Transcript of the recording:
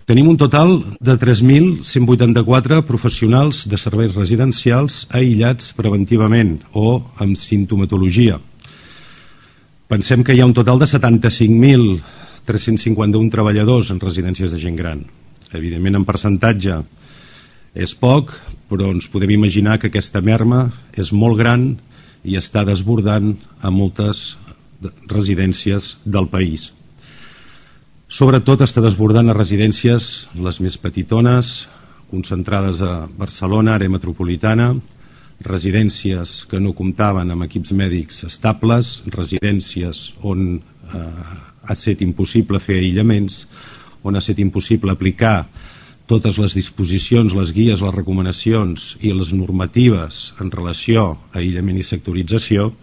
Tenim un total de 3.184 professionals de serveis residencials aïllats preventivament o amb simptomatologia. Pensem que hi ha un total de 75.351 treballadors en residències de gent gran. Evidentment, en percentatge és poc, però ens podem imaginar que aquesta merma és molt gran i està desbordant a moltes residències del país. Sobretot està desbordant a residències les més petitones, concentrades a Barcelona, àrea metropolitana, residències que no comptaven amb equips mèdics estables, residències on ha estat impossible fer aïllaments, on ha estat impossible aplicar totes les disposicions, les guies, les recomanacions i les normatives en relació a aïllament i sectorització.